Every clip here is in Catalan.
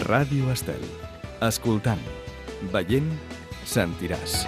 Ràdio Estel. Escoltant, veient, sentiràs.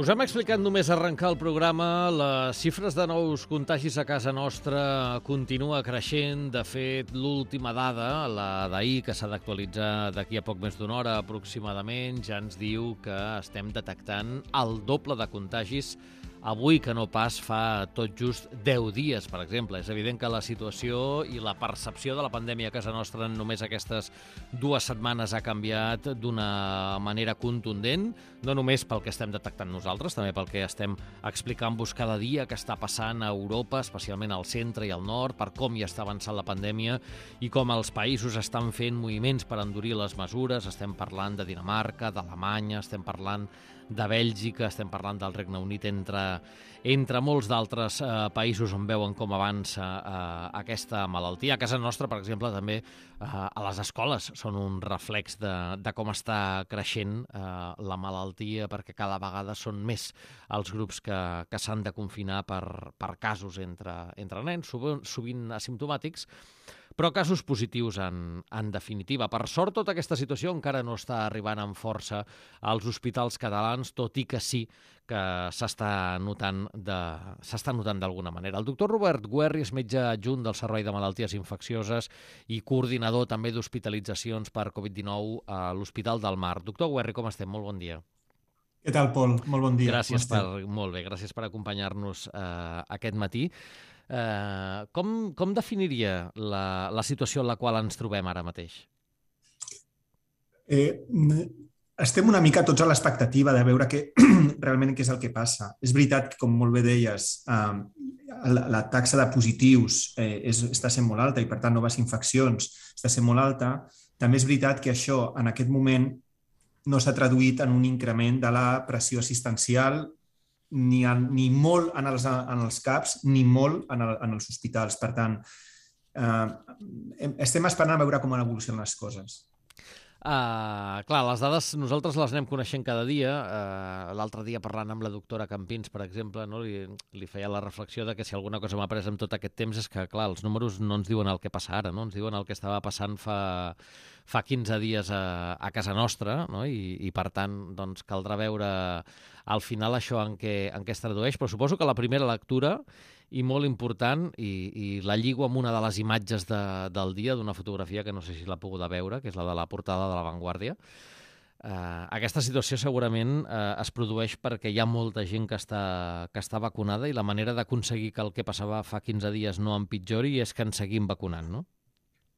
Us hem explicat només arrencar el programa, les xifres de nous contagis a casa nostra continua creixent. De fet, l'última dada, la d'ahir, que s'ha d'actualitzar d'aquí a poc més d'una hora aproximadament, ja ens diu que estem detectant el doble de contagis avui que no pas fa tot just 10 dies, per exemple. És evident que la situació i la percepció de la pandèmia a casa nostra en només aquestes 2 setmanes ha canviat d'una manera contundent, no només pel que estem detectant nosaltres, també pel que estem explicant-vos cada dia que està passant a Europa, especialment al centre i al nord, per com hi està avançant la pandèmia i com els països estan fent moviments per endurir les mesures. Estem parlant de Dinamarca, d'Alemanya, estem parlant de Bèlgica, estem parlant del Regne Unit, entre molts d'altres països on veuen com avança aquesta malaltia. A casa nostra, per exemple, també a les escoles són un reflex de com està creixent la malaltia, perquè cada vegada són més els grups que s'han de confinar per casos entre nens, sovint asimptomàtics, però casos positius en definitiva. Per sort, tota aquesta situació encara no està arribant amb força als hospitals catalans, tot i que sí que s'està notant d'alguna manera. El doctor Robert Guerri és metge adjunt del Servei de Malalties Infeccioses i coordinador també d'hospitalitzacions per Covid-19 a l'Hospital del Mar. Doctor Guerri, com estem? Molt bon dia. Què tal, Pol? Molt bon dia. Gràcies per acompanyar-nos aquest matí. Com definiria la situació en la qual ens trobem ara mateix? Estem una mica tots a l'expectativa de veure realment què és el que passa. És veritat que, com molt bé deies, la taxa de positius està sent molt alta i, per tant, noves infeccions està sent molt alta. També és veritat que això, en aquest moment, no s'ha traduït en un increment de la pressió assistencial ni molt en els CAPs ni molt en els hospitals. Per tant, estem esperant a veure com evolucionen les coses. Clar, les dades nosaltres les anem coneixent cada dia. L'altre dia, parlant amb la doctora Campins, per exemple, no, li feia la reflexió de que si alguna cosa m'ha après en tot aquest temps és que, clar, els números no ens diuen el que passa ara, no? Ens diuen el que estava passant fa 15 dies a casa nostra, no? I per tant, doncs, caldrà veure al final això en què es tradueix. Però suposo que la primera lectura, i molt important, i la lligo amb una de les imatges del dia, d'una fotografia que no sé si l'ha pogut veure, que és la de la portada de La Vanguardia. Aquesta situació segurament es produeix perquè hi ha molta gent que està vacunada i la manera d'aconseguir que el que passava fa 15 dies no empitjori és que ens seguim vacunant, no?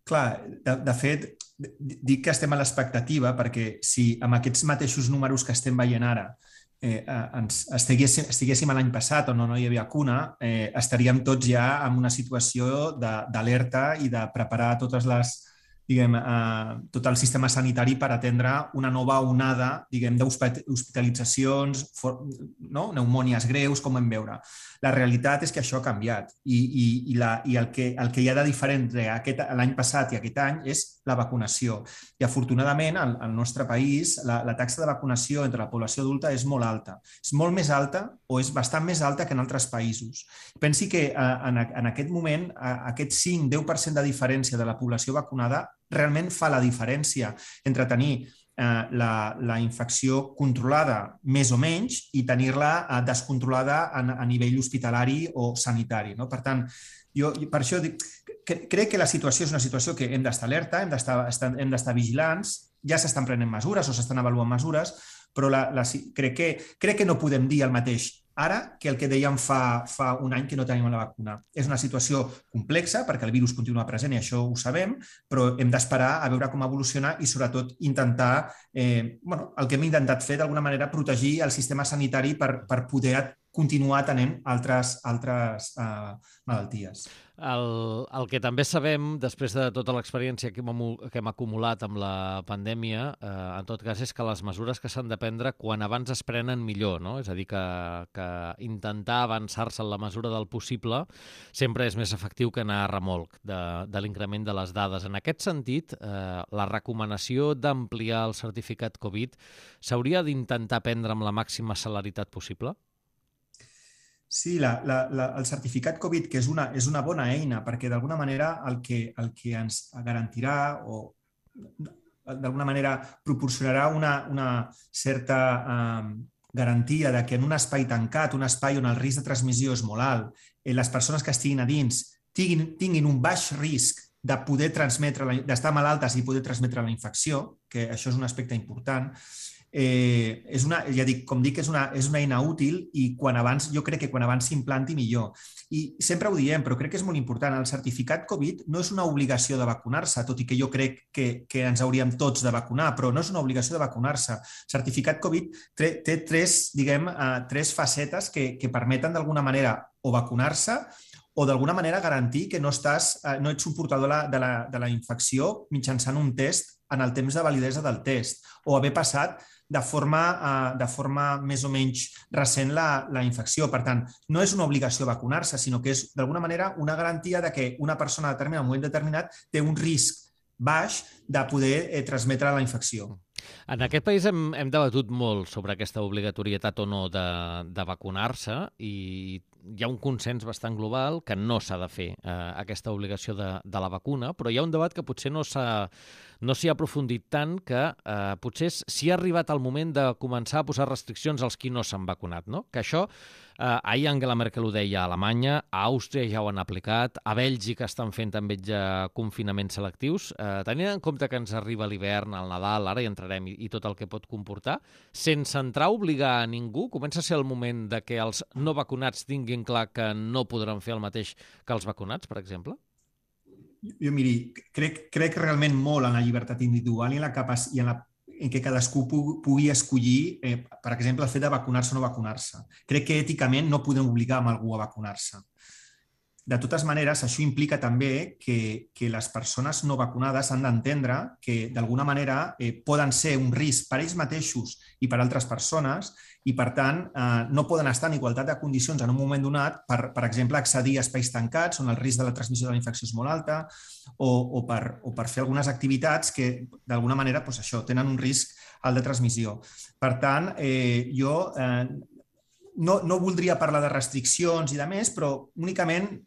Clar, de fet, dic que estem a l'expectativa perquè si amb aquests mateixos números que estem veient ara estiguéssim l'any passat on no hi havia vacuna, estaríem tots ja en una situació d'alerta i de preparar tot el sistema sanitari per atendre una nova onada d'hospitalitzacions, pneumònies greus, com vam veure. La realitat és que això ha canviat i el que hi ha de diferent l'any passat i aquest any és la vacunació. I afortunadament al nostre país la taxa de vacunació entre la població adulta és molt alta. És molt més alta o és bastant més alta que en altres països. Pensi que en aquest moment aquest 5-10% de diferència de la població vacunada realment fa la diferència entre tenir la infecció controlada més o menys i tenir-la descontrolada a nivell hospitalari o sanitari. Per tant, jo per això dic, crec que la situació és una situació que hem d'estar alerta, hem d'estar vigilants, ja s'estan prenent mesures o s'estan avaluant mesures, però crec que no podem dir el mateix ara que el que dèiem fa un any que no tenim la vacuna. És una situació complexa perquè el virus continua present i això ho sabem, però hem d'esperar a veure com evoluciona i sobretot intentar, el que hem intentat fer d'alguna manera, protegir el sistema sanitari per poder continuar tenint altres malalties. El que també sabem, després de tota l'experiència que hem acumulat amb la pandèmia, en tot cas, és que les mesures que s'han de prendre quan abans es prenen millor, no? És a dir, que intentar avançar-se en la mesura del possible sempre és més efectiu que anar a remolc de l'increment de les dades. En aquest sentit, la recomanació d'ampliar el certificat Covid s'hauria d'intentar prendre amb la màxima celeritat possible? Sí, el certificat Covid, que és una bona eina, perquè d'alguna manera el que ens garantirà o d'alguna manera proporcionarà una certa garantia de que en un espai tancat, un espai on el risc de transmissió és molt alt, les persones que estiguin a dins tinguin un baix risc de poder transmetre, d'estar malaltes i poder transmetre la infecció, que això és un aspecte important. Com dic, és una eina útil i jo crec que quan abans s'implanti millor. I sempre ho diem, però crec que és molt important. El certificat Covid no és una obligació de vacunar-se, tot i que jo crec que ens hauríem tots de vacunar, però no és una obligació de vacunar-se. El certificat Covid té tres facetes que permeten d'alguna manera o vacunar-se o d'alguna manera garantir que no ets un portador de la infecció mitjançant un test en el temps de validesa del test o haver passat de forma més o menys recent la infecció. Per tant, no és una obligació vacunar-se, sinó que és d'alguna manera una garantia de que una persona determinada en un moment determinat té un risc baix de poder transmetre la infecció. En aquest país hem debatut molt sobre aquesta obligatorietat o no de vacunar-se i hi ha un consens bastant global que no s'ha de fer aquesta obligació de la vacuna, però hi ha un debat que potser no s'hi ha aprofundit tant, que potser s'hi ha arribat al moment de començar a posar restriccions als qui no s'han vacunat, no? Que això, ahir Angela Merkel ho deia a Alemanya, a Àustria ja ho han aplicat, a Bèlgica estan fent també ja confinaments selectius. Tenint en compte que ens arriba l'hivern, el Nadal, ara hi entrarem, i tot el que pot comportar, sense entrar a obligar a ningú, comença a ser el moment de que els no vacunats tinguin clar que no podran fer el mateix que els vacunats, per exemple? Jo, miri, crec realment molt en la llibertat individual i en que cadascú pugui escollir, per exemple, el fet de vacunar-se o no vacunar-se. Crec que èticament no podem obligar a algú a vacunar-se. De totes maneres, això implica també que les persones no vacunades han d'entendre que, d'alguna manera, poden ser un risc per ells mateixos i per altres persones i, per tant, no poden estar en igualtat de condicions en un moment donat per exemple, accedir a espais tancats on el risc de la transmissió de la infecció és molt alta o per fer algunes activitats que, d'alguna manera, tenen un risc alt de transmissió. Per tant, jo no voldria parlar de restriccions i de més, però únicament,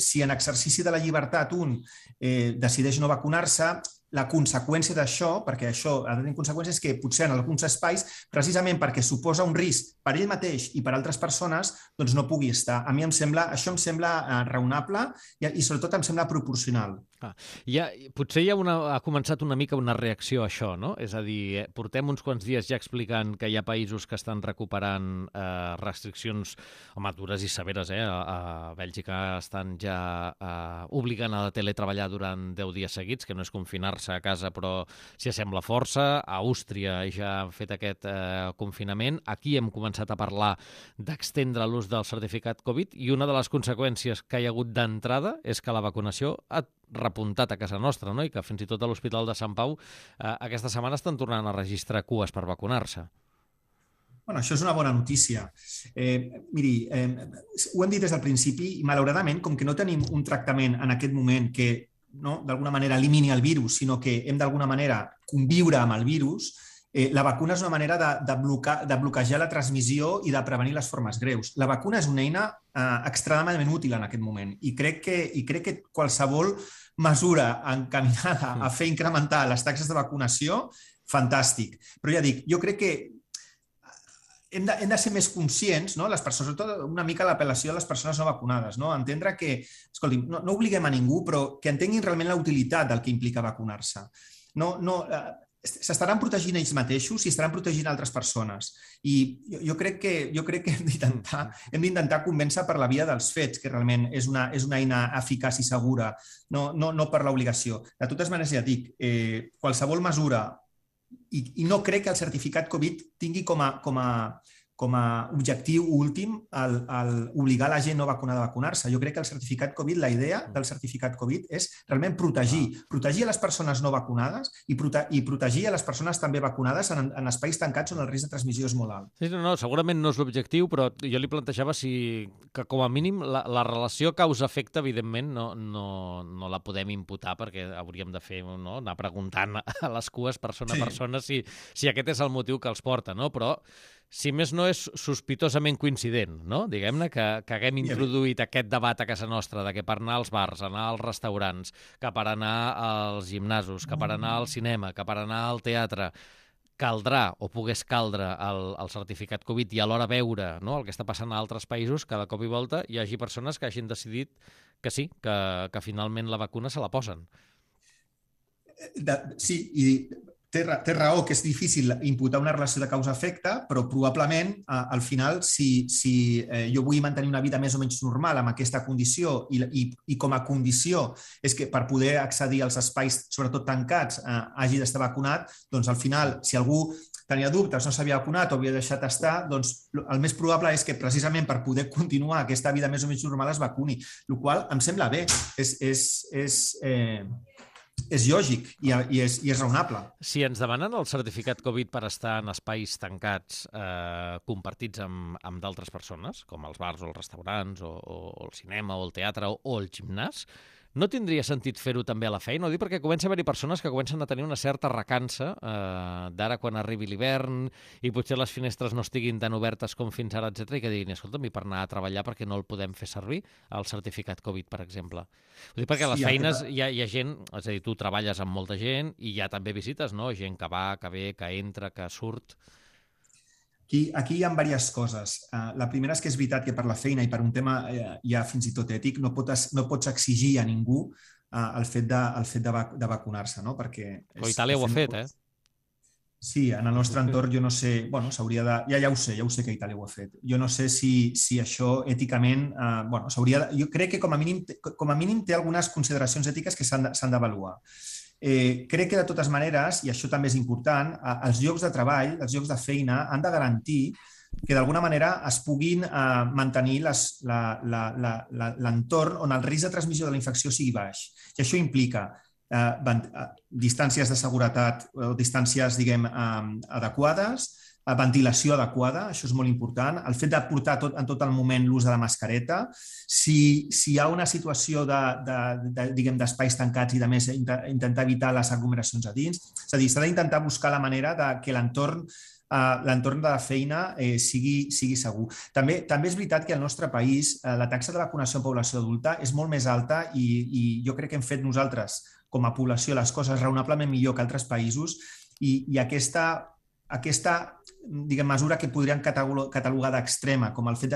si en exercici de la llibertat un decideix no vacunar-se, la conseqüència d'això, perquè això ha de tenir conseqüències, que potser en alguns espais, precisament perquè suposa un risc per ell mateix i per altres persones, doncs no pugui estar. A mi això em sembla raonable i sobretot em sembla proporcional. Potser ha començat una mica una reacció a això, no? És a dir, portem uns quants dies ja explicant que hi ha països que estan recuperant restriccions dures i severes. A Bèlgica estan ja obligant a teletreballar durant 10 dies seguits, que no és confinar-se a casa, però s'hi assembla força. A Àustria ja han fet aquest confinament. Aquí hem començat a parlar d'extendre l'ús del certificat Covid i una de les conseqüències que hi ha hagut d'entrada és que la vacunació ha repuntat a casa nostra, no? I que fins i tot a l'Hospital de Sant Pau aquesta setmana estan tornant a registrar cues per vacunar-se. Això és una bona notícia. Miri, ho hem dit des del principi i malauradament, com que no tenim un tractament en aquest moment que d'alguna manera elimini el virus, sinó que hem d'alguna manera conviure amb el virus, la vacuna és una manera de bloquejar la transmissió i de prevenir les formes greus. La vacuna és una eina extremadament útil en aquest moment i crec que qualsevol mesura encaminada a fer incrementar les taxes de vacunació, fantàstic. Però ja dic, jo crec que hem de ser més conscients, les persones, sobretot una mica l'apel·lació a les persones no vacunades, entendre que, escolti, no obliguem a ningú, però que entenguin realment la utilitat del que implica vacunar-se. S'estaran protegint ells mateixos i estaran protegint altres persones. I jo crec que hem d'intentar convèncer per la via dels fets, que realment és una eina eficaç i segura, no per l'obligació. De totes maneres, ja dic, qualsevol mesura, i no crec que el certificat Covid tingui com objectiu últim obligar la gent no vacunada a vacunar-se. Jo crec que el certificat Covid, la idea del certificat Covid és realment protegir a les persones no vacunades i protegir a les persones també vacunades en espais tancats on el risc de transmissió és molt alt. Sí, no, segurament no és l'objectiu, però jo li plantejava que com a mínim la relació causa-efecte, evidentment, no la podem imputar perquè hauríem de fer, anar preguntant a les cues persona a persona si aquest és el motiu que els porta, no? Però si més no és sospitosament coincident, no? Diguem-ne que haguem introduït aquest debat a casa nostra de que per anar als bars, anar als restaurants, que per anar als gimnasos, que per anar al cinema, que per anar al teatre, caldrà o pogués caldre el certificat Covid i alhora veure el que està passant a altres països, cada cop i volta hi hagi persones que hagin decidit que sí, que finalment la vacuna se la posen. Sí, i té raó que és difícil imputar una relació de causa-efecte, però probablement al final, si jo vull mantenir una vida més o menys normal amb aquesta condició i com a condició és que per poder accedir als espais, sobretot tancats, hagi d'estar vacunat, doncs al final, si algú tenia dubtes, no s'havia vacunat o havia deixat estar, doncs el més probable és que precisament per poder continuar aquesta vida més o menys normal es vacuni, el qual em sembla bé, és lògic i és raonable. Si ens demanen el certificat Covid per estar en espais tancats compartits amb d'altres persones, com els bars o els restaurants o el cinema o el teatre o el gimnàs, no tindria sentit fer-ho també a la feina? Ho dic perquè comença a haver-hi persones que comencen a tenir una certa recança d'ara quan arribi l'hivern i potser les finestres no estiguin tan obertes com fins ara, etc. i que diguin, escolta'm, i per anar a treballar perquè no el podem fer servir, el certificat Covid, per exemple. Ho dic perquè a les feines hi ha gent, és a dir, tu treballes amb molta gent i hi ha també visites, no? Gent que va, que ve, que entra, que surt. Aquí hi ha diverses coses. La primera és que és veritat que per la feina i per un tema ja fins i tot ètic no pots exigir a ningú el fet de vacunar-se, no? Perquè però Itàlia ho ha fet, Sí, en el nostre entorn jo no sé, s'hauria de... Ja ho sé que Itàlia ho ha fet. Jo no sé si això èticament, s'hauria de... Jo crec que com a mínim té algunes consideracions ètiques que s'han d'avaluar. Crec que de totes maneres, i això també és important, els llocs de treball, els llocs de feina han de garantir que d'alguna manera es puguin mantenir l'entorn on el risc de transmissió de la infecció sigui baix. I això implica distàncies de seguretat o distàncies, diguem, adequades, ventilació adequada, això és molt important, el fet de portar en tot el moment l'ús de la mascareta, si hi ha una situació d'espais tancats i de més intentar evitar les aglomeracions a dins, és a dir, s'ha d'intentar buscar la manera que l'entorn de la feina sigui segur. També és veritat que al nostre país la taxa de vacunació en població adulta és molt més alta i jo crec que hem fet nosaltres com a població les coses raonablement millor que altres països i aquesta mesura que podríem catalogar d'extrema, com el fet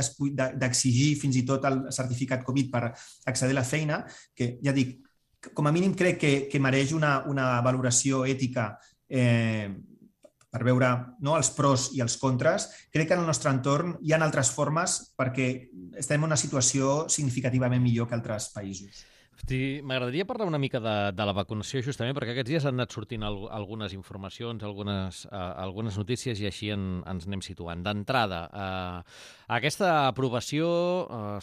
d'exigir fins i tot el certificat Covid per accedir a la feina, que ja dic, com a mínim crec que mereix una valoració ètica per veure els pros i els contres. Crec que en el nostre entorn hi ha altres formes perquè estem en una situació significativament millor que altres països. M'agradaria parlar una mica de la vacunació, justament, perquè aquests dies han anat sortint algunes informacions, algunes notícies, i així ens anem situant. D'entrada, aquesta aprovació,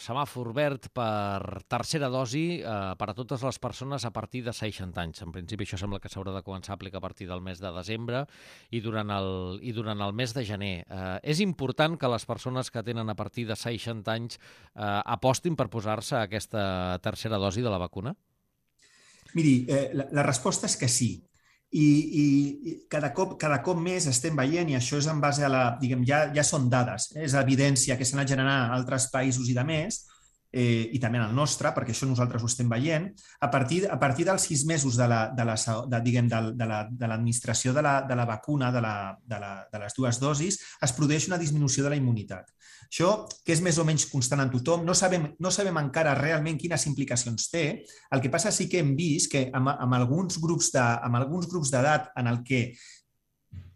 semàfor verd per tercera dosi per a totes les persones a partir de 60 anys. En principi, això sembla que s'haurà de començar a aplicar a partir del mes de desembre i durant el mes de gener. És important que les persones que tenen a partir de 60 anys apostin per posar-se aquesta tercera dosi de la vacuna? Miri, la resposta és que sí. I cada cop més estem veient, i això és en base a ja són dades, és evidència que s'ha anat generant en altres països i de més, i també en el nostre, perquè això nosaltres ho estem veient, a partir dels 6 mesos de l'administració de la vacuna, de les dues dosis, es produeix una disminució de la immunitat. Això, que és més o menys constant en tothom, no sabem encara realment quines implicacions té. El que passa sí que hem vist que amb alguns grups d'edat en el que,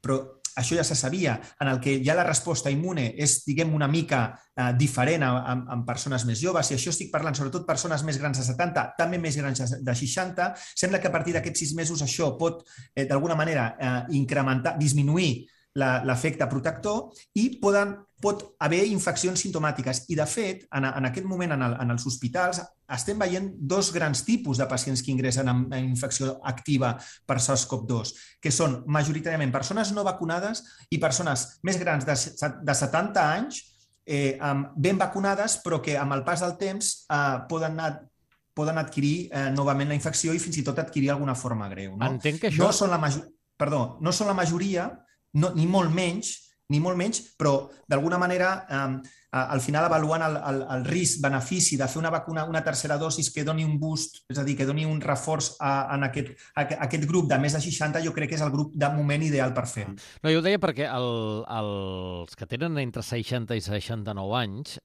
però això ja se sabia, en el que ja la resposta immune és, diguem, una mica diferent en persones més joves, i això estic parlant sobretot persones més grans de 70, també més grans de 60, sembla que a partir d'aquests 6 mesos això pot, d'alguna manera, incrementar, disminuir l'efecte protector i pot haver infeccions simptomàtiques. I, de fet, en aquest moment en els hospitals estem veient dos grans tipus de pacients que ingressen amb infecció activa per SARS-CoV-2, que són majoritàriament persones no vacunades i persones més grans de 70 anys ben vacunades, però que amb el pas del temps poden adquirir novament la infecció i fins i tot adquirir alguna forma greu. Entenc que això... No són la majoria, ni molt menys, però d'alguna manera al final avaluant el risc-benefici de fer una tercera dosis que doni un boost, és a dir, que doni un reforç en aquest grup de més de 60, jo crec que és el grup de moment ideal per fer-ho. No, jo ho deia perquè els que tenen entre 60 i 69 anys...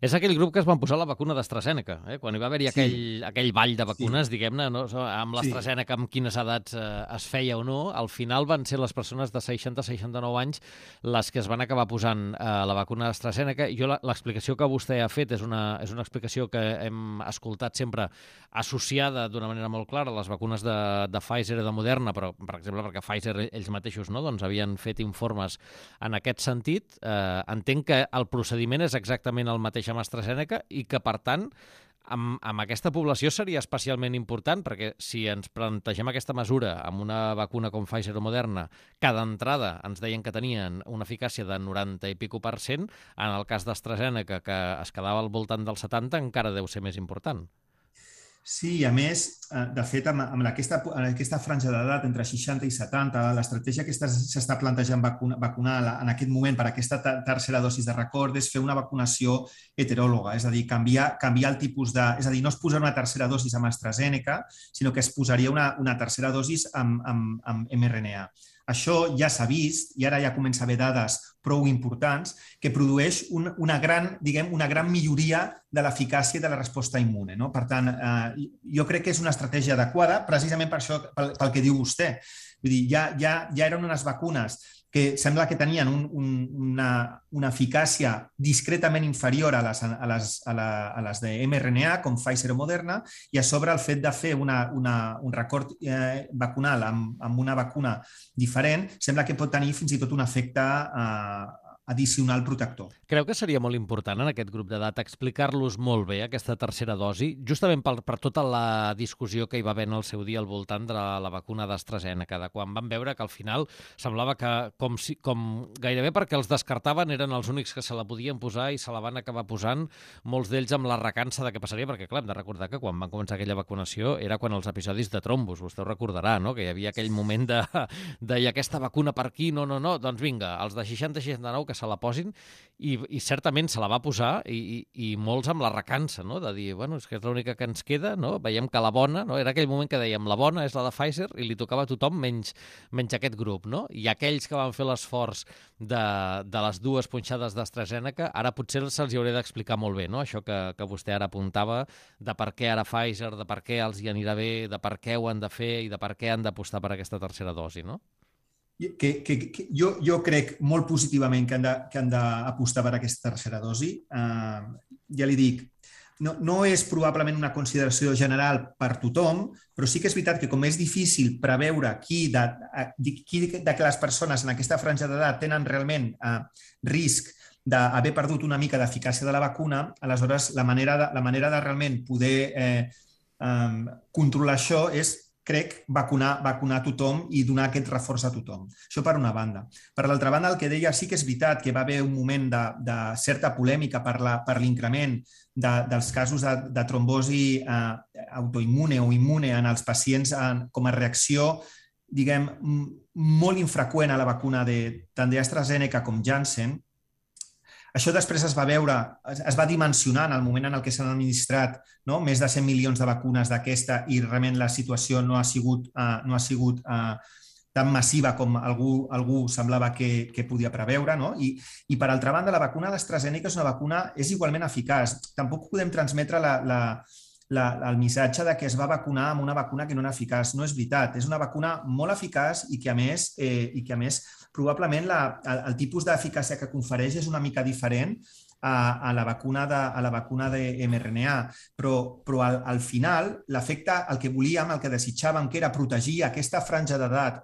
És aquell grup que es van posar la vacuna d'AstraZeneca, quan hi va haver-hi aquell ball de vacunes, diguem-ne, no? Amb l'AstraZeneca, amb quines edats es feia o no, al final van ser les persones de 60-69 anys les que es van acabar posant la vacuna d'AstraZeneca. I jo l'explicació que vostè ha fet és una explicació que hem escoltat sempre associada d'una manera molt clara a les vacunes de Pfizer i de Moderna, però, per exemple, perquè Pfizer ells mateixos havien fet informes en aquest sentit. Entenc que el procediment és exactament el mateix amb AstraZeneca i que, per tant, amb aquesta població seria especialment important, perquè si ens plantegem aquesta mesura amb una vacuna com Pfizer o Moderna, cada entrada ens deien que tenien una eficàcia de 90 i pico %, en el cas d'AstraZeneca, que es quedava al voltant del 70, encara deu ser més important. Sí, a més, de fet, amb aquesta franja d'edat entre 60 i 70, l'estratègia que s'està plantejant vacunar en aquest moment per aquesta tercera dosi de record és fer una vacunació heteròloga, és a dir, canviar el tipus de... És a dir, no es posarà una tercera dosi amb AstraZeneca, sinó que es posaria una tercera dosi amb mRNA. Això ja s'ha vist, i ara ja comença a haver dades prou importants, que produeix una gran milloria de l'eficàcia de la resposta immune. Per tant, jo crec que és una estratègia adequada, precisament per això, pel que diu vostè. Vull dir, ja eren unes vacunes que sembla que tenien una eficàcia discretament inferior a les de mRNA, com Pfizer o Moderna, i a sobre el fet de fer un record vacunal amb una vacuna diferent sembla que pot tenir fins i tot un efecte addicional protector. Creu que seria molt important en aquest grup d'edat explicar-los molt bé aquesta tercera dosi, justament per tota la discussió que hi va haver en el seu dia al voltant de la vacuna d'AstraZeneca, de quan van veure que al final semblava que com gairebé perquè els descartaven eren els únics que se la podien posar i se la van acabar posant, molts d'ells amb la recança de què passaria, perquè clar, hem de recordar que quan van començar aquella vacunació era quan els episodis de trombos, vostè ho recordarà, no? Que hi havia aquell moment de i aquesta vacuna per aquí, no, doncs vinga, els de 60-69 que se la posin, i certament se la va posar i molts amb la recança, no? De dir, bueno, és que és l'única que ens queda, no? Veiem que la bona, no? Era aquell moment que dèiem, la bona és la de Pfizer i li tocava a tothom menys aquest grup, no? I aquells que van fer l'esforç de les dues punxades d'AstraZeneca, ara potser se'ls hi hauria d'explicar molt bé, no? Això que vostè ara apuntava, de per què ara Pfizer, de per què els hi anirà bé, de per què ho han de fer i de per què han d'apostar per aquesta tercera dosi, no? Jo crec molt positivament que han d'apostar per aquesta tercera dosi. Ja li dic, no és probablement una consideració general per tothom, però sí que és veritat que com és difícil preveure qui de les persones en aquesta franja d'edat tenen realment risc d'haver perdut una mica d'eficàcia de la vacuna, aleshores la manera de realment poder controlar això és, crec, vacunar tothom i donar aquest reforç a tothom. Això per una banda. Per l'altra banda, el que deia sí que és veritat que va haver un moment de certa polèmica per l'increment dels casos de trombosi autoimmune o immune en els pacients com a reacció, diguem, molt infreqüent a la vacuna tant d'AstraZeneca com Janssen. Això després es va dimensionar en el moment en què s'han administrat més de 100 milions de vacunes d'aquesta i realment la situació no ha sigut tan massiva com algú semblava que podia preveure. I per altra banda, la vacuna d'AstraZeneca és igualment eficaç. Tampoc podem transmetre el missatge de que es va vacunar amb una vacuna que no era eficaç. No és veritat. És una vacuna molt eficaç i que a més probablement el tipus d'eficàcia que confereix és una mica diferent a la vacuna de mRNA, però al final l'efecte, el que volíem, el que desitjàvem, que era protegir aquesta franja d'edat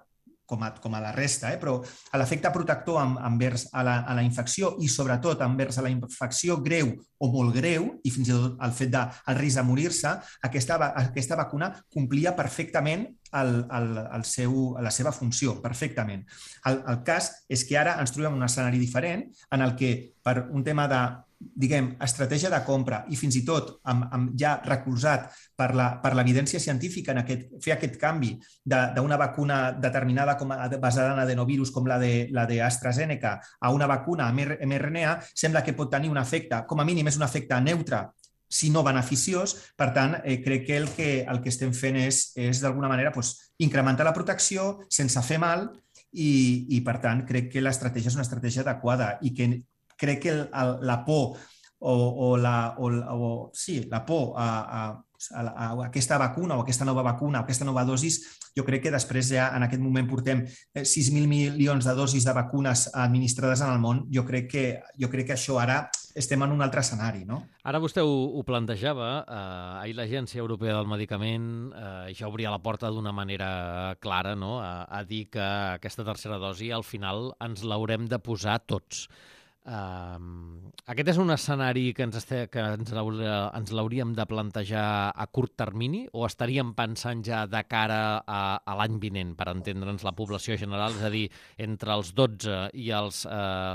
com a la resta, però l'efecte protector envers a la infecció i sobretot envers a la infecció greu o molt greu, i fins i tot el fet del risc de morir-se, aquesta vacuna complia perfectament la seva funció, perfectament. El cas és que ara ens trobem en un escenari diferent en el que per un tema de estratègia de compra i fins i tot ja recolzat per l'evidència científica en fer aquest canvi d'una vacuna determinada basada en adenovirus com la d'AstraZeneca a una vacuna mRNA, sembla que pot tenir un efecte, com a mínim és un efecte neutre, si no beneficiós. Per tant, crec que el que estem fent és d'alguna manera incrementar la protecció sense fer mal i per tant, crec que l'estratègia és una estratègia adequada i que crec que la por la por a aquesta vacuna o aquesta nova vacuna o aquesta nova dosis, jo crec que després ja en aquest moment portem 6.000 milions de dosis de vacunes administrades en el món. Jo crec que això ara estem en un altre escenari, no? Ara vostè ho plantejava, ahir l'Agència Europea del Medicament ja obria la porta d'una manera clara, no?, a dir que aquesta tercera dosi al final ens l'haurem de posar tots. Aquest és un escenari que ens l'hauríem de plantejar a curt termini o estaríem pensant ja de cara a l'any vinent, per entendre'ns la població general, és a dir, entre els 12 i els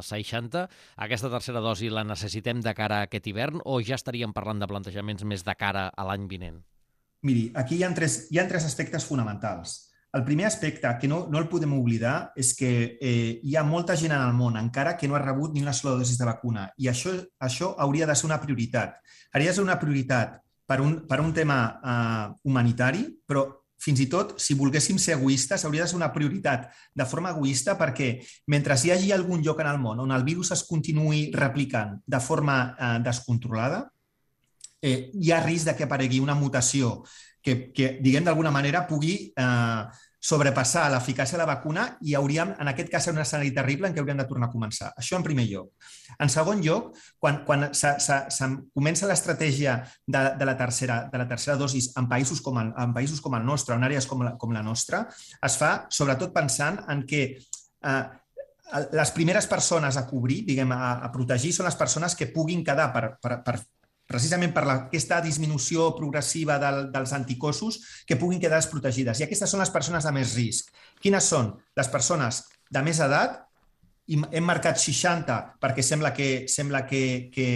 60, aquesta tercera dosi la necessitem de cara a aquest hivern o ja estaríem parlant de plantejaments més de cara a l'any vinent? Miri, aquí hi ha tres aspectes fonamentals. El primer aspecte, que no el podem oblidar, és que hi ha molta gent en el món encara que no ha rebut ni una sola dosi de vacuna i això hauria de ser una prioritat. Hauria de ser una prioritat per un tema humanitari, però fins i tot, si volguéssim ser egoistes, hauria de ser una prioritat de forma egoista perquè mentre hi hagi algun lloc en el món on el virus es continuï replicant de forma descontrolada, hi ha risc que aparegui una mutació que diguem, d'alguna manera pugui sobrepassar l'eficàcia de la vacuna i hauríem, en aquest cas, un escenari terrible en què hauríem de tornar a començar. Això en primer lloc. En segon lloc, quan comença l'estratègia de la tercera dosi en països com el nostre, en àrees com la nostra, es fa sobretot pensant en que les primeres persones a cobrir, diguem, a protegir, són les persones que puguin quedar precisament per aquesta disminució progressiva dels anticossos que puguin quedar desprotegides. I aquestes són les persones de més risc. Quines són? Les persones de més edat, i hem marcat 60 perquè sembla que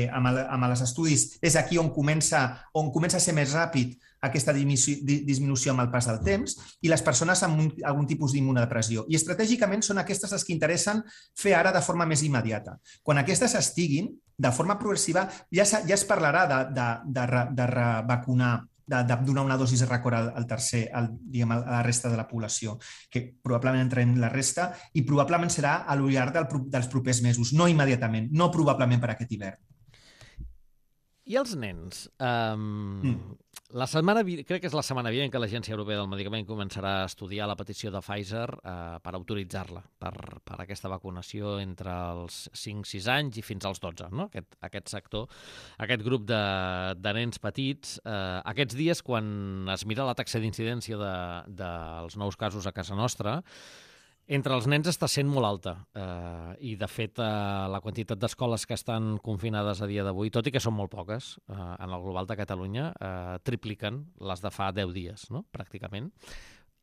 amb els estudis és aquí on comença a ser més ràpid aquesta disminució amb el pas del temps, i les persones amb algun tipus d'immunodepressió. I estratègicament són aquestes les que interessen fer ara de forma més immediata. Quan aquestes estiguin, de forma progressiva, ja es parlarà de revacunar, de donar una dosi de record a la resta de la població, que probablement entrem la resta i probablement serà a lo llarg dels propers mesos, no immediatament, no probablement per aquest hivern. I els nens? Crec que és la setmana vinent que l'Agència Europea del Medicament començarà a estudiar la petició de Pfizer per autoritzar-la per aquesta vacunació entre els 5-6 anys i fins als 12, no? Aquest sector, aquest grup de nens petits. Aquests dies, quan es mira la taxa d'incidència dels nous casos a casa nostra, entre els nens està sent molt alta i, de fet, la quantitat d'escoles que estan confinades a dia d'avui, tot i que són molt poques, en el global de Catalunya, tripliquen les de fa 10 dies, no? Pràcticament.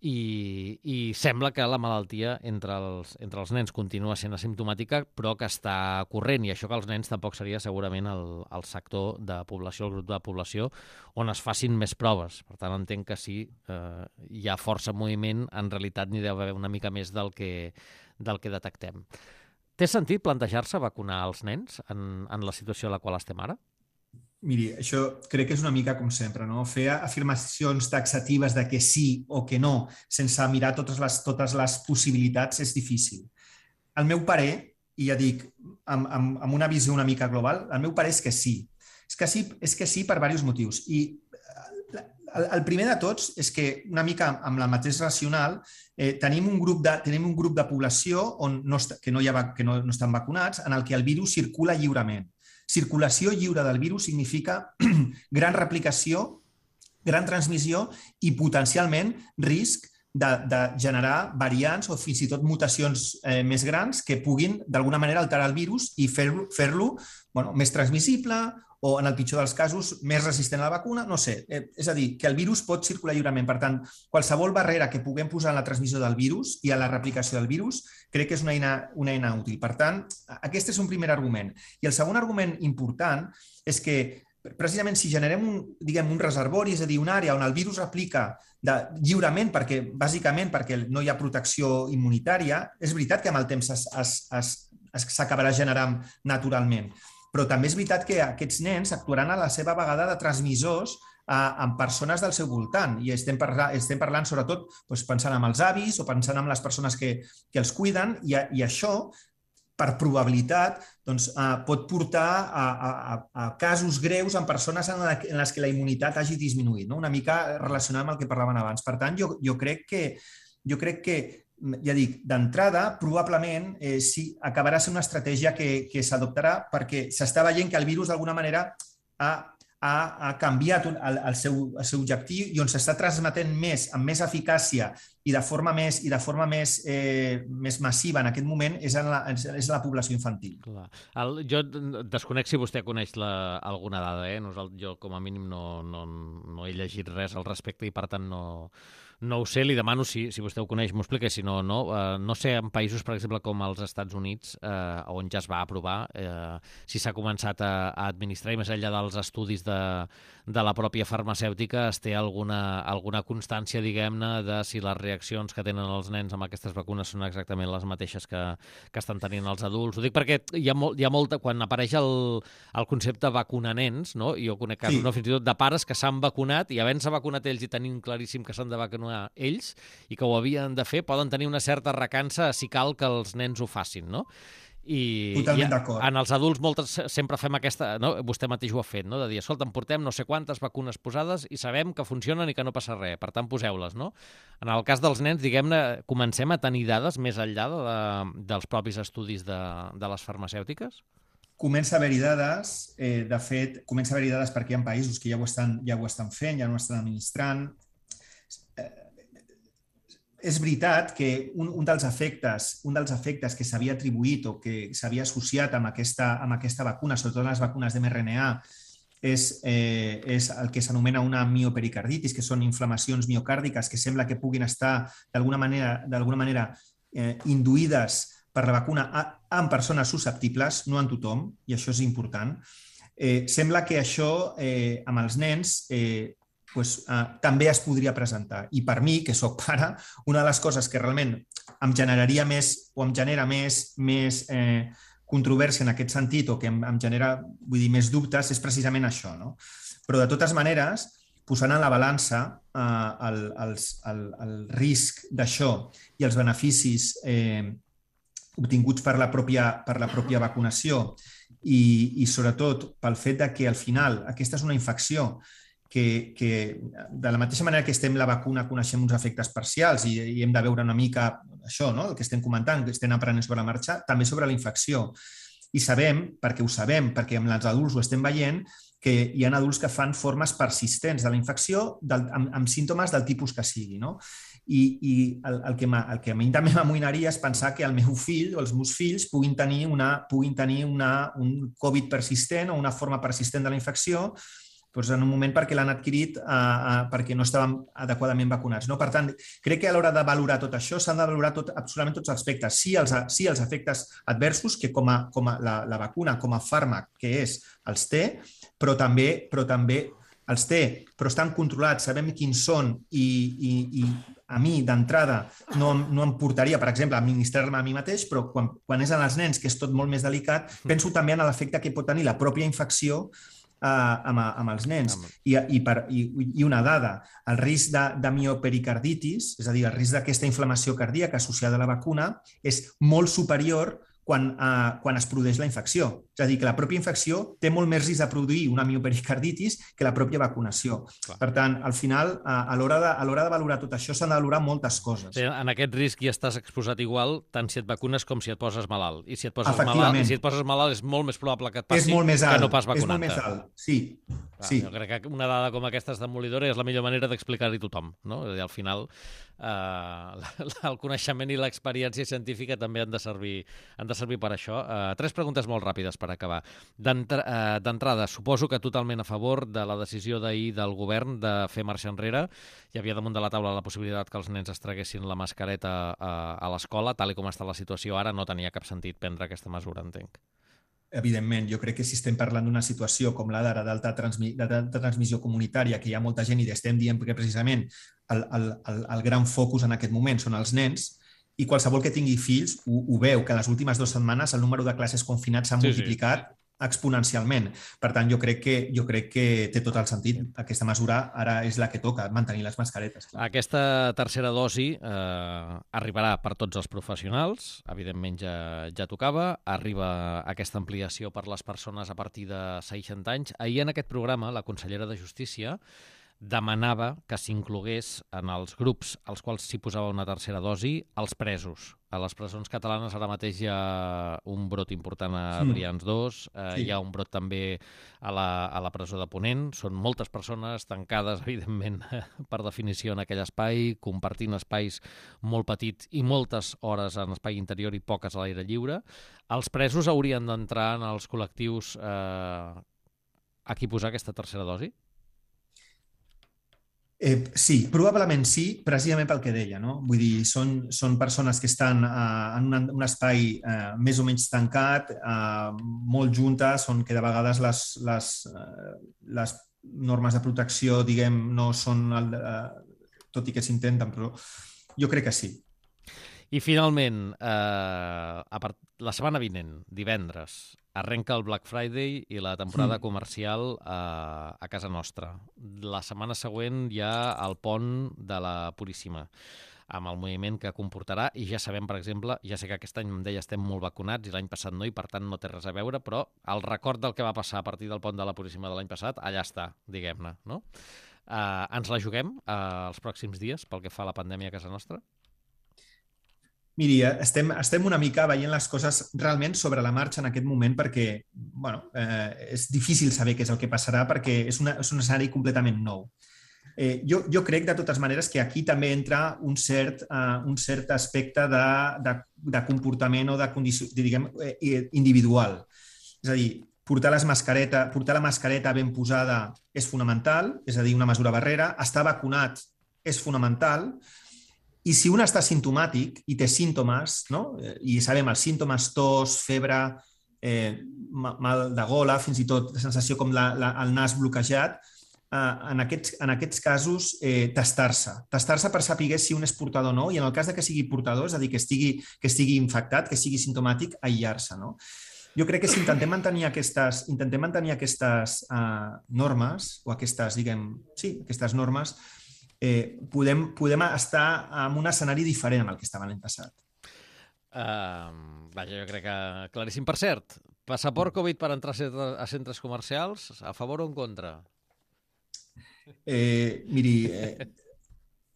I sembla que la malaltia entre els nens continua sent asimptomàtica, però que està corrent, i això que els nens tampoc seria segurament el sector de població, el grup de població, on es facin més proves. Per tant, entenc que sí, hi ha força moviment, en realitat n'hi deu haver una mica més del que detectem. Té sentit plantejar-se vacunar els nens en la situació en la qual estem ara? Miri, això crec que és una mica com sempre, no? Fer afirmacions taxatives de que sí o que no, sense mirar totes les possibilitats, és difícil. El meu parer, i ja dic, amb una visió una mica global, el meu parer és que sí. És que sí per diversos motius. I el primer de tots és que, una mica amb la mateix racional, tenim un grup de població que no estan vacunats, en el que el virus circula lliurement. Circulació lliure del virus significa gran replicació, gran transmissió i potencialment risc de generar variants o fins i tot mutacions més grans que puguin d'alguna manera alterar el virus i fer-lo més transmissible o, en el pitjor dels casos, més resistent a la vacuna, no sé. És a dir, que el virus pot circular lliurement. Per tant, qualsevol barrera que puguem posar en la transmissió del virus i a la replicació del virus crec que és una eina útil. Per tant, aquest és un primer argument. I el segon argument important és que precisament si generem un reservori, és a dir, una àrea on el virus replica lliurement, bàsicament perquè no hi ha protecció immunitària, és veritat que amb el temps s'acabarà generant naturalment. Però també és veritat que aquests nens actuaran a la seva vegada de transmissors amb persones del seu voltant. I estem parlant sobretot pensant en els avis o pensant en les persones que els cuiden, i això, per probabilitat, pot portar a casos greus en persones en les que la immunitat hagi disminuït, una mica relacionat amb el que parlaven abans. Per tant, jo crec que ja dic, d'entrada, probablement sí, acabarà sent una estratègia que s'adoptarà perquè s'està veient que el virus d'alguna manera ha canviat el seu objectiu i on s'està transmetent amb més eficàcia i de forma més massiva en aquest moment és la població infantil. Jo desconec si vostè coneix alguna dada. Jo, com a mínim, no he llegit res al respecte i, per tant, no ho sé. Li demano, si vostè ho coneix, m'ho explica. Si no, no sé, en països, per exemple, com els Estats Units, on ja es va aprovar, si s'ha començat a administrar, i més enllà dels estudis de la pròpia farmacèutica, es té alguna constància, diguem-ne, de si les reaccions que tenen els nens amb aquestes vacunes són exactament les mateixes que estan tenint els adults. Ho dic perquè hi ha molta... Quan apareix el concepte vacunar nens, no? Jo conec casos, fins i tot de pares que s'han vacunat i havent-se vacunat ells i tenint claríssim que s'han de vacunar ells i que ho havien de fer, poden tenir una certa recança si cal que els nens ho facin, no? Totalment d'acord. En els adults sempre fem aquesta, no? Vostè mateix ho ha fet, no? De dir, escolta, em portem no sé quantes vacunes posades i sabem que funcionen i que no passa res, per tant poseu-les, no? En el cas dels nens, diguem-ne, comencem a tenir dades més enllà dels propis estudis de les farmacèutiques? Comença a haver-hi dades, de fet, comença a haver-hi dades perquè hi ha països que ja ho estan fent, ja no estan administrant. És veritat que un dels efectes que s'havia atribuït o que s'havia associat amb aquesta vacuna, sobretot les vacunes d'mRNA, és el que s'anomena una miopericarditis, que són inflamacions miocàrdiques que sembla que puguin estar d'alguna manera induïdes per la vacuna en persones susceptibles, no en tothom, i això és important. Sembla que això amb els nens també es podria presentar. I per mi, que soc pare, una de les coses que realment em generaria més o em genera més controvèrsia en aquest sentit o que em genera, més dubtes és precisament això, no? Però de totes maneres, posant en la balança el risc d'això i els beneficis obtinguts per la pròpia vacunació i sobretot pel fet que al final aquesta és una infecció que de la mateixa manera que estem la vacuna coneixem uns efectes parcials i hem de veure una mica això, no? El que estem comentant, que estem aprenent sobre la marxa, també sobre la infecció. I sabem, perquè amb els adults ho estem veient, que hi ha adults que fan formes persistents de la infecció amb símptomes del tipus que sigui, no? I el que a mi també m'amoïnaria és pensar que el meu fill o els meus fills puguin tenir un Covid persistent o una forma persistent de la infecció en un moment perquè l'han adquirit perquè no estaven adequadament vacunats. Per tant, crec que a l'hora de valorar tot això s'han de valorar absolutament tots els aspectes. Sí, els efectes adversos, que com a la vacuna, com a fàrmac que és, els té, però també els té, però estan controlats, sabem quins són i a mi, d'entrada, no em portaria, per exemple, a administrar-me a mi mateix, però quan és en els nens, que és tot molt més delicat, penso també en l'efecte que pot tenir la pròpia infecció amb els nens. I una dada, el risc de miopericarditis, és a dir, el risc d'aquesta inflamació cardíaca associada a la vacuna, és molt superior quan es produeix la infecció. És a dir, que la pròpia infecció té molt més risc de produir una miopericarditis que la pròpia vacunació. Per tant, al final, a l'hora de valorar tot això, s'han de valorar moltes coses. En aquest risc hi estàs exposat igual, tant si et vacunes com si et poses malalt. I si et poses malalt és molt més probable que et passi que no pas vacunant-te. És molt més alt, sí. Sí. Jo crec que una dada com aquesta és demolidora i és la millor manera d'explicar-hi a tothom, no? És a dir, al final el coneixement i l'experiència científica també han de servir per això. 3 preguntes molt ràpides per acabar. D'entrada, suposo que totalment a favor de la decisió d'ahir del govern de fer marxa enrere. Hi havia damunt de la taula la possibilitat que els nens es traguessin la mascareta a l'escola. Tal com està la situació ara, no tenia cap sentit prendre aquesta mesura, entenc. Evidentment, jo crec que si estem parlant d'una situació com la d'ara d'alta transmissió comunitària, que hi ha molta gent i estem dient que precisament el gran focus en aquest moment són els nens, i qualsevol que tingui fills ho veu, que les últimes 2 setmanes el número de classes confinats s'ha multiplicat exponencialment. Per tant, jo crec que té tot el sentit. Aquesta mesura ara és la que toca, mantenir les mascaretes. Clar. Aquesta tercera dosi arribarà per tots els professionals, evidentment ja tocava, arriba aquesta ampliació per les persones a partir de 60 anys. Ahir en aquest programa la consellera de Justícia demanava que s'inclogués en els grups als quals s'hi posava una tercera dosi els presos. A les presons catalanes ara mateix hi ha un brot important a Brians 2, hi ha un brot també a la presó de Ponent. Són moltes persones tancades, evidentment, per definició en aquell espai, compartint espais molt petits i moltes hores en espai interior i poques a l'aire lliure. Els presos haurien d'entrar en els col·lectius a qui posar aquesta tercera dosi? Sí, probablement sí, precisament pel que deia, no? Vull dir, són persones que estan en un espai més o menys tancat, molt juntes, on que de vegades les normes de protecció, diguem, no són, tot i que s'intenten, però jo crec que sí. I finalment, la setmana vinent, divendres, arrenca el Black Friday i la temporada comercial a casa nostra. La setmana següent hi ha el pont de la Puríssima, amb el moviment que comportarà, i ja sabem, per exemple, ja sé que aquest any em deia estem molt vacunats i l'any passat no, i per tant no té res a veure, però el record del que va passar a partir del pont de la Puríssima de l'any passat, allà està, diguem-ne, no? Ens la juguem els pròxims dies pel que fa a la pandèmia a casa nostra? Miri, estem una mica veient les coses realment sobre la marxa en aquest moment perquè és difícil saber què és el que passarà perquè és un escenari completament nou. Jo crec, de totes maneres, que aquí també entra un cert aspecte de comportament o de condició, diguem, individual. És a dir, portar la mascareta ben posada és fonamental, és a dir, una mesura barrera. Estar vacunat és fonamental. I si un està simptomàtic i té símptomes, no? I sabem els símptomes, tos, febre, mal de gola, fins i tot sensació com el nas bloquejat, en aquests casos testar-se per saber si un és portador o no, i en el cas de que sigui portador, és a dir, que estigui infectat, que sigui simptomàtic, aïllar-se, no? Jo crec que si intentem mantenir aquestes normes, o aquestes normes, podem estar en un escenari diferent amb el que estava l'any passat. Vaja, jo crec que claríssim. Per cert, passaport Covid per entrar a centres comercials, a favor o en contra? Miri,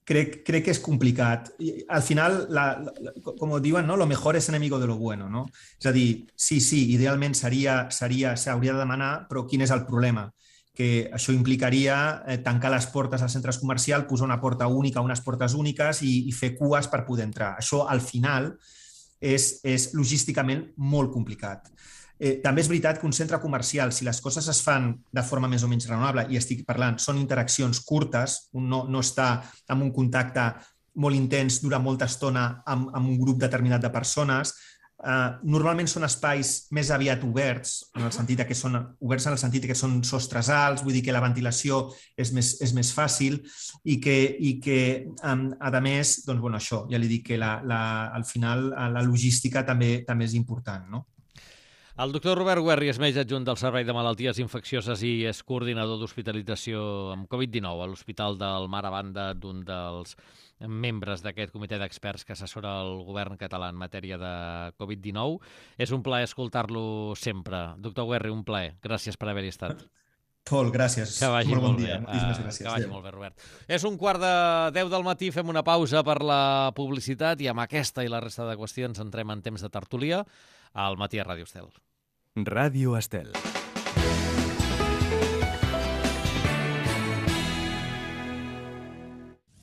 crec que és complicat. Al final, com diuen, no? Lo mejor es enemigo de lo bueno, no? És a dir, sí, idealment s'hauria de demanar, però quin és el problema? Que això implicaria tancar les portes als centres comercials, posar una porta única, unes portes úniques i fer cues per poder entrar. Això, al final, és logísticament molt complicat. També és veritat que un centre comercial, si les coses es fan de forma més o menys raonable, i estic parlant, són interaccions curtes, un no està en un contacte molt intens durant molta estona amb un grup determinat de persones. Normalment són espais més aviat oberts, en el sentit que són sostres alts, vull dir que la ventilació és més fàcil i que a més, doncs, això, ja li dic que al final la logística també és important, no? El doctor Robert Guerri és metge adjunt del Servei de Malalties Infeccioses i és coordinador d'hospitalització amb Covid-19 a l'Hospital del Mar, a banda d'un dels membres d'aquest comitè d'experts que assessora el govern català en matèria de Covid-19. És un plaer escoltar-lo sempre. Doctor Guerri, un plaer. Gràcies per haver-hi estat. Tol, gràcies. Que vagi molt bon molt dia. bé. Moltíssimes gràcies. Que vagi molt bé, Robert. És 1:15 del matí, fem una pausa per la publicitat i amb aquesta i la resta de qüestions entrem en temps de tertúlia al Matí a Ràdio Estel. Ràdio Estel.